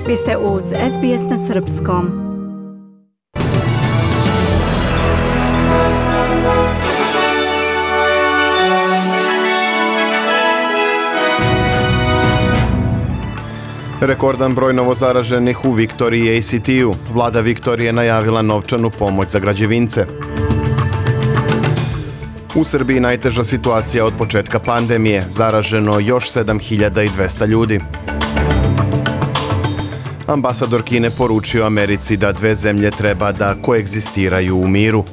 Vi ste uz SBS na srpskom. Rekordan broj novozaraženih u Viktoriji i ACT-u. Vlada Viktorije najavila novčanu pomoć za građevince. U Srbiji najteža situacija od početka pandemije. Zaraženo još 7200 ljudi. Ambasador Kine poručio Americi da dve zemlje treba da koegzistiraju u miru.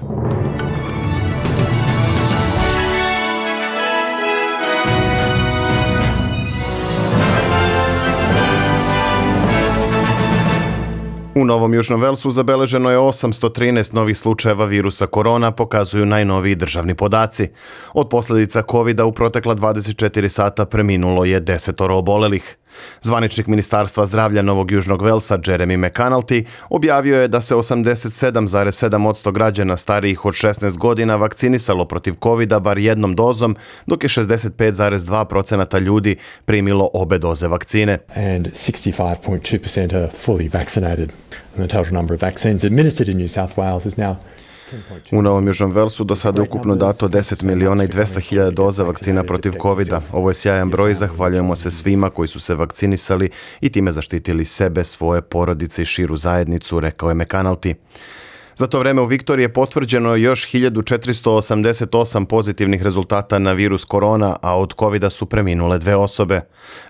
U Novom Južnom Velsu zabeleženo je 813 novih slučajeva virusa korona, pokazuju najnoviji državni podaci. Od posljedica COVID-a u protekla 24 sata preminulo je 10 obolelih. Zvaničnik Ministarstva zdravlja Novog Južnog Velsa, Jeremy McAnulty, objavio je da se 87,7% građana starijih od 16 godina vakcinisalo protiv COVID-a bar jednom dozom, dok je 65,2% ljudi primilo obe doze vakcine. And 65.2% are fully vaccinated. And the total number of vaccines administered in New South Wales is now U Novom Južnom Velsu do sada je ukupno dato 10.200.000 doza vakcina protiv COVID-a. Ovo je sjajan broj i zahvaljujemo se svima koji su se vakcinisali i time zaštitili sebe, svoje porodice i širu zajednicu, rekao je McAnulty. Za to vreme u Viktoriji je potvrđeno još 1488 pozitivnih rezultata na virus korona, a od COVID-a su preminule 2 osobe.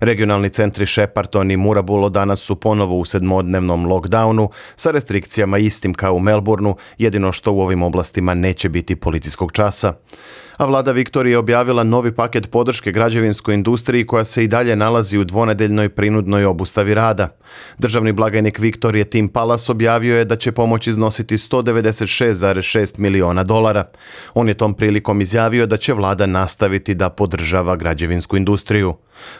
Regionalni centri Shepparton i Moorabool danas su ponovo u 7-dnevnom lockdownu sa restrikcijama istim kao u Melbourneu, jedino što u ovim oblastima neće biti policijskog časa. A vlada Viktorije je objavila novi paket podrške građevinskoj industriji koja se i dalje nalazi u dvonedeljnoj prinudnoj obustavi rada. Državni blagajnik Viktorije Tim Pallas objavio je da će pomoć iznositi $196,6 miliona. On je tom prilikom izjavio da će vlada nastaviti da podržava građevinsku industriju.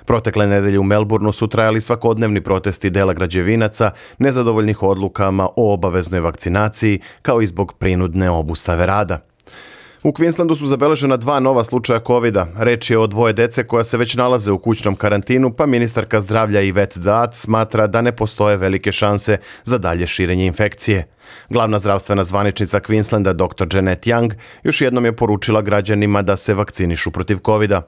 Protekle nedelje u Melbourneu su trajali svakodnevni protesti dela građevinaca, nezadovoljnih odlukama o obaveznoj vakcinaciji, kao i zbog prinudne obustave rada. U Queenslandu su zabeležena 2 nova slučaja COVID-a. Reč je o 2 dece koja se već nalaze u kućnom karantinu, pa ministarka zdravlja Yvette D'Ath smatra da ne postoje velike šanse za dalje širenje infekcije. Glavna zdravstvena zvaničnica Queenslanda, dr. Janet Young, još jednom je poručila građanima da se vakcinišu protiv COVID-a.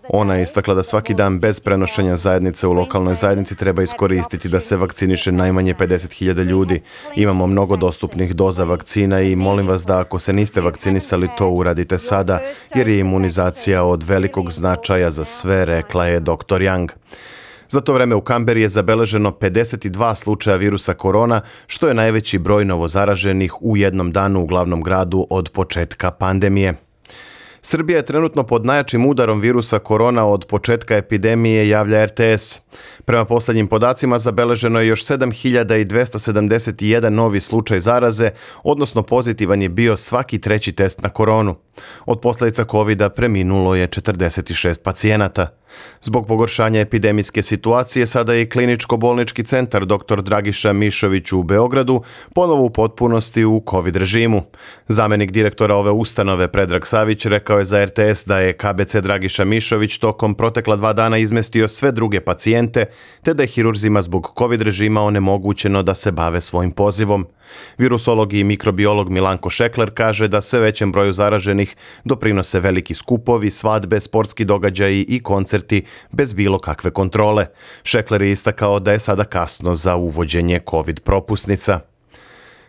Ona je istakla da svaki dan bez prenošenja zajednice u lokalnoj zajednici treba iskoristiti da se vakciniše najmanje 50.000 ljudi. Imamo mnogo dostupnih doza vakcina i molim vas da ako se niste vakcinisali to uradite sada, jer je imunizacija od velikog značaja za sve, rekla je dr. Young. Za to vreme u Kamberi je zabeleženo 52 slučaja virusa korona, što je najveći broj novozaraženih u jednom danu u glavnom gradu od početka pandemije. Srbija je trenutno pod najjačim udarom virusa korona od početka epidemije, javlja RTS. Prema posljednjim podacima zabeleženo je još 7.271 novi slučaj zaraze, odnosno pozitivan je bio svaki 3. test na koronu. Od posljedica COVID-a preminulo je 46 pacijenata. Zbog pogoršanja epidemijske situacije sada je i kliničko-bolnički centar dr. Dragiša Mišović u Beogradu ponovo u potpunosti u COVID režimu. Zamenik direktora ove ustanove Predrag Savić rekao je za RTS da je KBC Dragiša Mišović tokom protekla 2 dana izmestio sve druge pacijente, te da je hirurzima zbog COVID režima onemogućeno da se bave svojim pozivom. Virusolog i mikrobiolog Milanko Šekler kaže da sve većem broju zaraženih doprinose veliki skupovi, svadbe, sportski događaji i koncerti bez bilo kakve kontrole. Šekler je istakao da je sada kasno za uvođenje COVID propusnica.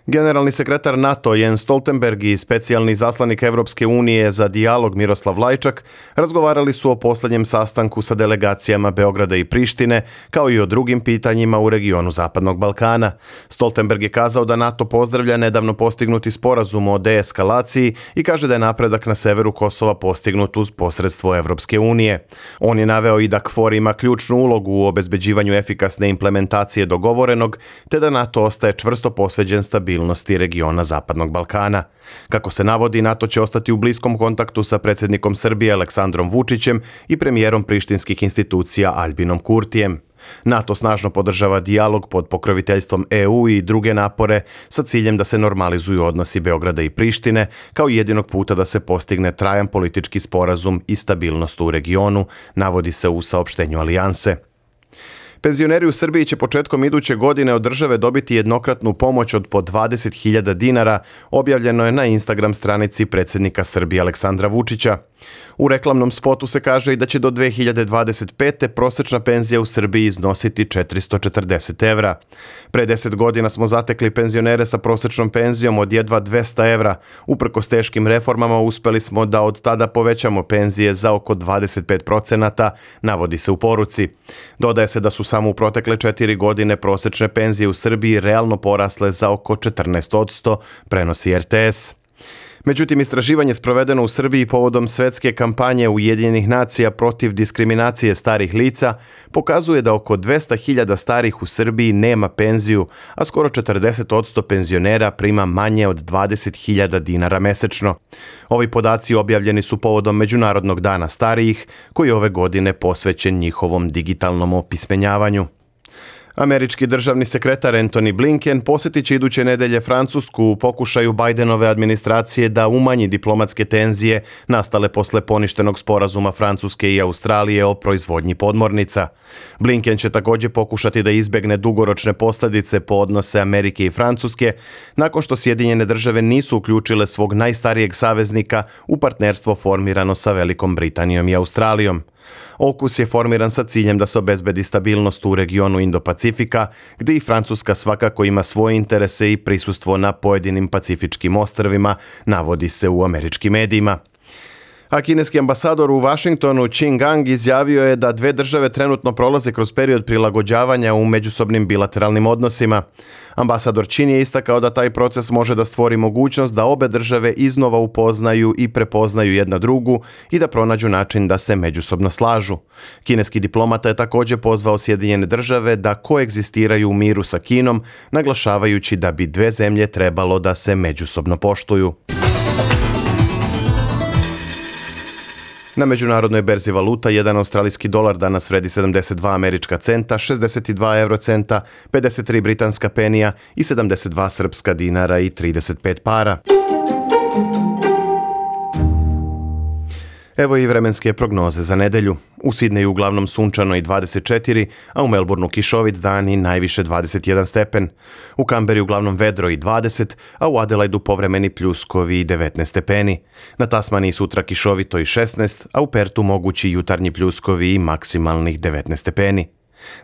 Generalni sekretar NATO Jens Stoltenberg i specijalni izaslanik Evropske unije za dijalog Miroslav Lajčak razgovarali su o posljednjem sastanku sa delegacijama Beograda i Prištine, kao i o drugim pitanjima u regionu Zapadnog Balkana. Stoltenberg je kazao da NATO pozdravlja nedavno postignuti sporazum o deeskalaciji i kaže da je napredak na severu Kosova postignut uz posredstvo Evropske unije. On je naveo i da KFOR ima ključnu ulogu u obezbeđivanju efikasne implementacije dogovorenog, te da NATO ostaje čvrsto posveđen stabilnosti regiona Zapadnog Balkana. Kako se navodi, NATO će ostati u bliskom kontaktu sa predsjednikom Srbije Aleksandrom Vučićem i premijerom prištinskih institucija Albinom Kurtijem. NATO snažno podržava dijalog pod pokroviteljstvom EU i druge napore sa ciljem da se normalizuju odnosi Beograda i Prištine kao jedinog puta da se postigne trajan politički sporazum i stabilnost u regionu, navodi se u saopštenju alijanse. Penzioneri u Srbiji će početkom iduće godine od države dobiti jednokratnu pomoć od po 20.000 dinara, objavljeno je na Instagram stranici predsjednika Srbije Aleksandra Vučića. U reklamnom spotu se kaže i da će do 2025. prosječna penzija u Srbiji iznositi 440 evra. Pre 10 godina smo zatekli penzionere sa prosječnom penzijom od jedva 200 evra. Uprkos teškim reformama uspeli smo da od tada povećamo penzije za oko 25%, navodi se u poruci. Dodaje se da su samo u protekle 4 godine prosječne penzije u Srbiji realno porasle za oko 14%, prenosi RTS. Međutim, istraživanje sprovedeno u Srbiji povodom svetske kampanje Ujedinjenih nacija protiv diskriminacije starih lica pokazuje da oko 200.000 starih u Srbiji nema penziju, a skoro 40% penzionera prima manje od 20.000 dinara mesečno. Ovi podaci objavljeni su povodom Međunarodnog dana starijih, koji ove godine posvećen njihovom digitalnom opismenjavanju. Američki državni sekretar Antony Blinken posjetit će iduće nedelje Francusku u pokušaju Bidenove administracije da umanji diplomatske tenzije nastale posle poništenog sporazuma Francuske i Australije o proizvodnji podmornica. Blinken će također pokušati da izbegne dugoročne posljedice po odnose Amerike i Francuske nakon što Sjedinjene države nisu uključile svog najstarijeg saveznika u partnerstvo formirano sa Velikom Britanijom i Australijom. AUKUS je formiran sa ciljem da se obezbedi stabilnost u regionu Indo-Pacifika, gdje i Francuska svakako ima svoje interese i prisustvo na pojedinim pacifičkim ostrvima, navodi se u američkim medijima. A kineski ambasador u Washingtonu Qin Gang izjavio je da dve države trenutno prolaze kroz period prilagođavanja u međusobnim bilateralnim odnosima. Ambasador Qin je istakao da taj proces može da stvori mogućnost da obe države iznova upoznaju i prepoznaju jedna drugu i da pronađu način da se međusobno slažu. Kineski diplomata je također pozvao Sjedinjene države da koegzistiraju u miru sa Kinom, naglašavajući da bi dve zemlje trebalo da se međusobno poštuju. Na međunarodnoj berzi valuta, jedan australijski dolar danas vredi 72 američka centa, 62 eurocenta, 53 britanska penija i 72 srpska dinara i 35 para. Evo i vremenske prognoze za nedelju. U Sidneju uglavnom sunčano i 24, a u Melbourneu kišovit dan i najviše 21 stepen. U Kamberi uglavnom vedro i 20, a u Adelaidu povremeni pljuskovi i 19 stepeni. Na Tasmaniji sutra kišovito i 16, a u Pertu mogući jutarnji pljuskovi i maksimalnih 19 stepeni.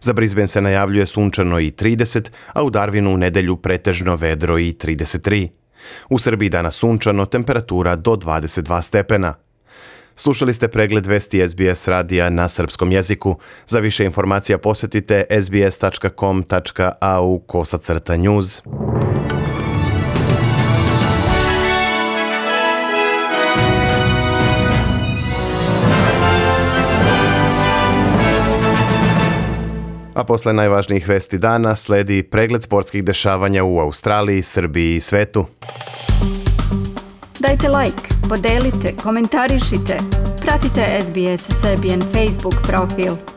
Za Brisbane se najavljuje sunčano i 30, a u Darwinu u nedelju pretežno vedro i 33. U Srbiji danas sunčano, temperatura do 22 stepena. Slušali ste pregled vesti SBS radija na srpskom jeziku. Za više informacija posjetite sbs.com.au/news. A posle najvažnijih vesti dana sledi pregled sportskih dešavanja u Australiji, Srbiji i svetu. Dajte like, podelite, komentarišite. Pratite SBS Serbian Facebook profil.